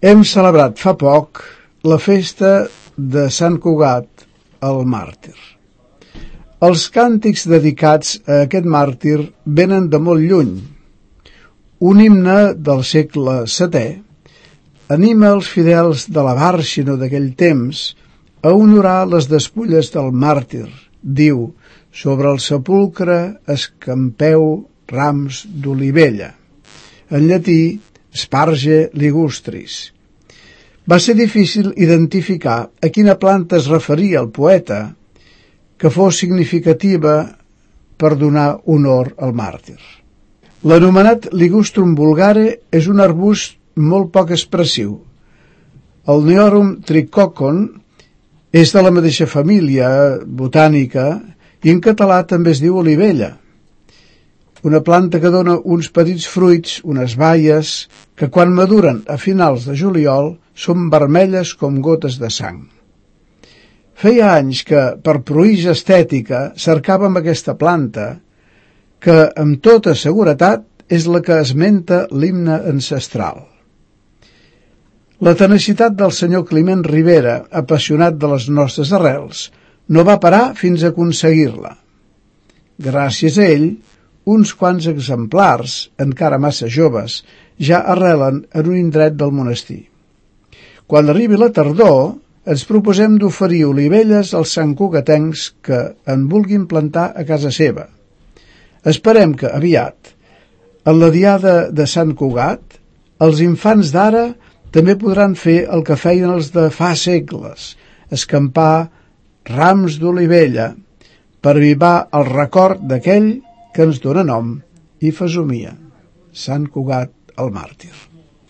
Hem celebrat fa poc la festa de Sant Cugat, el màrtir. Els càntics dedicats a aquest màrtir venen de molt lluny. Un himne del segle VII anima els fidels de la Bàrxino d'aquell temps a honorar les despulles del màrtir. Diu: sobre el sepulcre escampeu rams d'olivella. En llatí, Sparge ligustris. Va ser difícil identificar a quina planta es referia el poeta, que fos significativa per donar honor al màrtir. L'anomenat Ligustrum vulgare és un arbust molt poc expressiu. El Neorum tricoccon és de la mateixa família botànica i en català també es diu olivella. Una planta que dona uns petits fruits, unes baies, que quan maduren a finals de juliol són vermelles com gotes de sang. Feia anys que, per pruïja estètica, cercàvem aquesta planta, que, amb tota seguretat, és la que esmenta l'himne ancestral. La tenacitat del senyor Climent Rivera, apassionat de les nostres arrels, no va parar fins a aconseguir-la. Gràcies a ell, uns quants exemplars, encara massa joves, ja arrelen en un indret del monestir. Quan arribi la tardor, ens proposem d'oferir olivelles als santcugatencs que en vulguin plantar a casa seva. Esperem que, aviat, en la diada de Sant Cugat, els infants d'ara també podran fer el que feien els de fa segles, escampar rams d'olivella per avivar el record d'aquell que ens dóna nom i fesomia, Sant Cugat el màrtir.